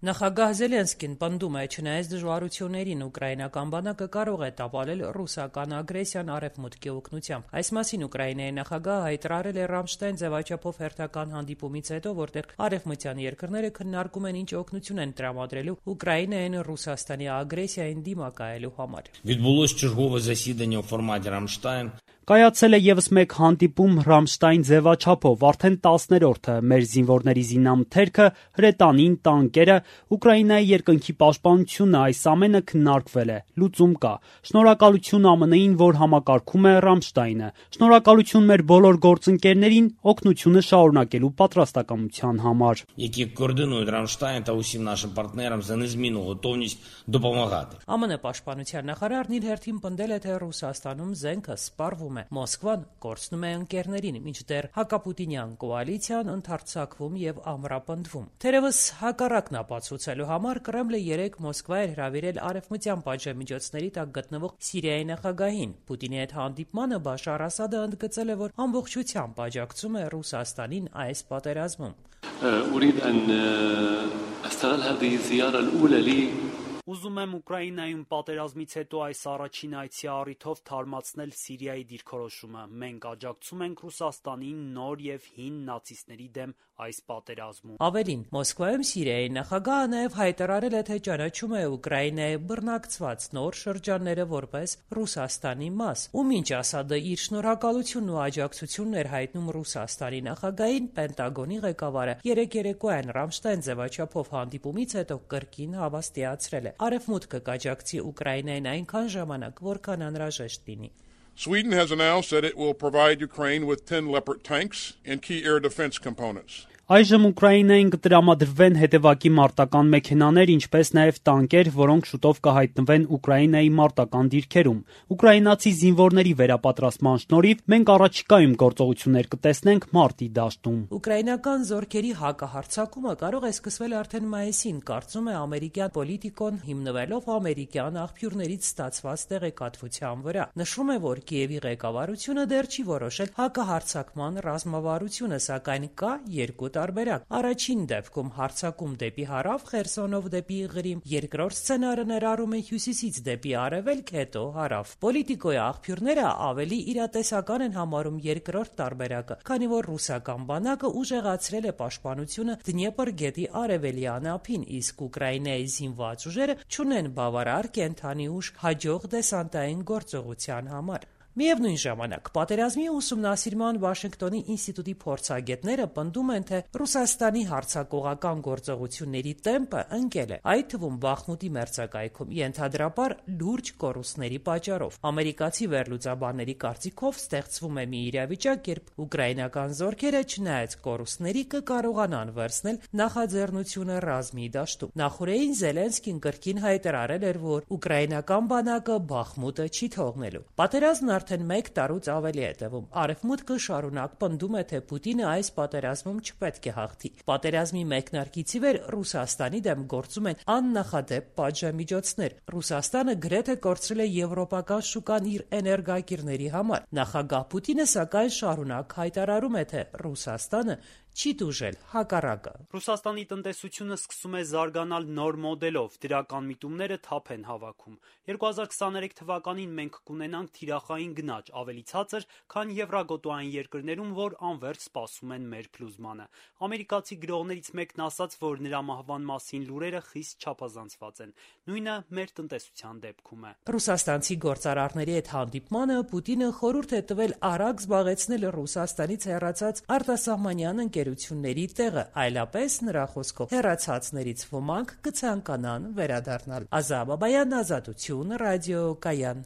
Նախագահ Զելենսկին պնդում է, չնայած դժվարություններին ուկրաինական բանակը կարող է տապալել ռուսական ագրեսիան Արևմուտքի օգնությամբ։ Այս մասին Ուկրաինայի նախագահը հայտարարել է Ռամշտայն ձևաչափով հերթական հանդիպումից հետո, որտեղ արևմտյան երկրները քննարկում են ինչ օգնություն են տրամադրելու Ուկրաինային Ռուսաստանի ագրեսիային դիմակայելու համար։ Відбулось чергове засідання у форматі Рамштайн. Կայացել է եւս մեկ հանդիպում Ռամշտայն ձևաչափով, արդեն 10-րդը։ Մեր զինվորների զինամթերքը, հրետանին, տանկերը, Ուկրաինայի երկնքի պաշտպանությունը, այս ամենը քննարկվել է, լուծում կա։ Շնորհակալություն ԱՄՆ-ին, որ համակարգում է Ռամշտայնը։ Շնորհակալություն մեր բոլոր գործընկերներին օգնությունը շարունակելու պատրաստակամության համար։ Які координують Рамштайн та усім нашим партнерам за незмінну готовність допомагати. ԱՄՆ պաշտպանության նախարարն իր հերթին պնդել է, թե Ռուսաստանում զենքը սպառվում է։ Մոսկվան կորցնում է ընկերներին, մինչդեռ հակապուտինյան կոալիցիան ընդարձակվում եւ ամրապնդվում։ Թերևս հակառակն ապացուցելու համար Կրեմլը 3 Մոսկվա էր հրավիրել արևմտյան պատժամիջոցների տակ գտնվող Սիրիայի նախագահին։ Պուտինի հետ հանդիպմանը Բաշար Ասադը ընդգծել է, որ ամբողջությամբ աջակցում է Ռուսաստանին այս պատերազմում։ Ուզում եմ Ուկրաինայում պատերազմից հետո այս առաջին այցի առիթով թարմացնել Սիրիայի դիրքորոշումը։ Մենք աջակցում ենք Ռուսաստանին նոր եւ հին նացիստների դեմ այս պատերազմում։ Ավելին, Մոսկվայում Սիրիայի նախագահը նաեւ հայտարարել է, թե ճանաչում է Ուկրաինայի բռնակցված նոր շրջանները որպես Ռուսաստանի մաս։ Ու մինչ Ասադը իր շնորհակալությունն ու աջակցությունն էր հայտնում Ռուսաստանի նախագահին, Պենտագոնի ղեկավարը երեկոյան Ռամշտայն ձևաչափով հանդիպումից հետո կրկին հավաստիացրել է. Արևմուտքը կաջակցի Ուկրաինային այնքան ժամանակ, որքան անհրաժեշտ լինի։ Sweden has announced that it will provide Ukraine with 10 Leopard tanks and key air defense components. Այժմ Ուկրաինային կտրամադրվեն հետևակի մարտական մեքենաներ, ինչպես նաև տանկեր, որոնք շուտով կհայտնվեն Ուկրաինայի մարտական դիրքերում։ Ուկրաինացի զինվորների վերապատրաստման շնորհիվ մենք առաջիկայում գործողություններ կտեսնենք մարտի դաշտում։ Ուկրաինական զորքերի հակահարձակումը կարող է սկսվել արդեն մայիսին, կարծում է ամերիկյան պոլիտիկոն, հիմնվելով ամերիկյան աղբյուրներից ստացված տեղեկատվության վրա։ Նշվում է, որ Կիևի ղեկավարությունը դեռ չի որոշել հակահարձակման ռազմավարությունը, սակայն կա երկու տարբերակ։ Առաջին դեպքում հարձակում դեպի հարավ, Խերսոնով դեպի Ղրիմ, երկրորդ սցենարը ներառում է հյուսիսից դեպի արևելք, հետո հարավ։ Պոլիտիկոյի աղբյուրները ավելի իրատեսական են համարում երկրորդ տարբերակը, քանի որ ռուսական բանակը ուժեղացրել է պաշտպանությունը Դնեպր գետի արևելյան ափին, իսկ Ուկրաինայի զինված ուժերը չունեն բավարար կենթանի ուժ հաջող դեսանտային գործողության համար։ Միևնույն ժամանակ, պատերազմի ուսումնասիրման Վաշինգտոնի ինստիտուտի փորձագետները պնդում են, թե Ռուսաստանի հարձակողական գործողությունների տեմպը ընկել է, այդ թվում Բախմուտի մերձակայքում, ենթադրաբար լուրջ կորուստների պատճառով։ Ամերիկացի վերլուծաբանների կարծիքով ստեղծվում է մի իրավիճակ, երբ ուկրաինական զորքերը, չնայած կորուստների, կկարողանան վերցնել նախաձեռնությունը ռազմի դաշտում։ Նախորդին Զելենսկին կրկին հայտարարել էր, որ ուկրաինական բանակը Բախմուտը չի թողնելու։ Պատերազմն արդեն 1 տարուց ավելի է տևում։ Արևմուտքը շարունակ պնդում է, թե Պուտինը այս պատերազմում չպետք է հաղթի։ Պատերազմի մեկնարկից ի վեր Ռուսաստանի դեմ գործում են աննախադեպ պատժամիջոցներ։ Ռուսաստանը գրեթե կորցրել է եվրոպական շուկան իր էներգակիրների համար։ Նախագահ Պուտինը սակայն շարունակ հայտարարում է, թե Ռուսաստանը չի տուժել, հակառակը։ Ռուսաստանի տնտեսությունը սկսում է զարգանալ նոր մոդելով, դրական միտումները թափ են հավաքում։ 2023 թվականին մենք կունենանք թիրախային գնաճ, ավելի ցածր, քան եվրագոտոային երկրներում, որ անվերջ սպասում են մեր փլուզմանը։ Ամերիկացի գրողներից մեկն ասաց, որ նրա մահվան մասին լուրերը խիստ չափազանցված են։ Նույնը մեր տնտեսության դեպքում է։ Ռուսաստանցի գործարարների հետ հանդիպմանը Պուտինը խորհուրդ է տվել արագ զբաղեցնել Ռուսաստանից հեռացած արտասահմանյան ընկերությունների տեղը, այլապես նրա խոսքով հեռացածներից ոմանք կցանկանան վերադառնալ։ Ազա Բաբայան, Ազատություն, ռադիո Կայան։